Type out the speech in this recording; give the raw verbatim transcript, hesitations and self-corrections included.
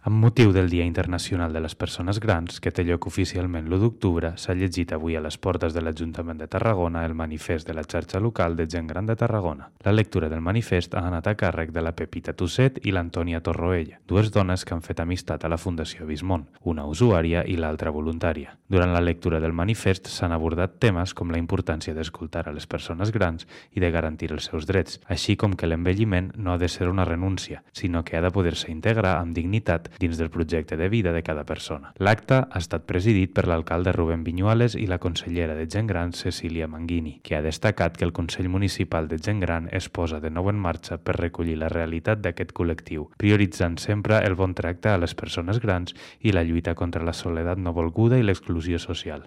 Amb motiu del Dia Internacional de les Persones Grans, que té lloc oficialment l'u d'octubre, s'ha llegit avui a les portes de l'Ajuntament de Tarragona el manifest de la xarxa local de gent gran de Tarragona. La lectura del manifest ha anat a càrrec de la Pepita Tusset i l'Antònia Torroella, dues dones que han fet amistat a la Fundació Bismont, una usuària i l'altra voluntària. Durant la lectura del manifest s'han abordat temes com la importància d'escoltar a les persones grans i de garantir els seus drets, així com que l'envelliment no ha de ser una renúncia, sinó que ha de poder-se integrar amb dignitat dins del projecte de vida de cada persona. L'acte ha estat presidit per l'alcalde Rubén Viñuales i la consellera de Gent Gran Cecília Manguini, que ha destacat que el Consell Municipal de Gent Gran es posa de nou en marxa per recollir la realitat d'aquest col·lectiu, prioritzant sempre el bon tracte a les persones grans i la lluita contra la soledat no volguda i l'exclusió social.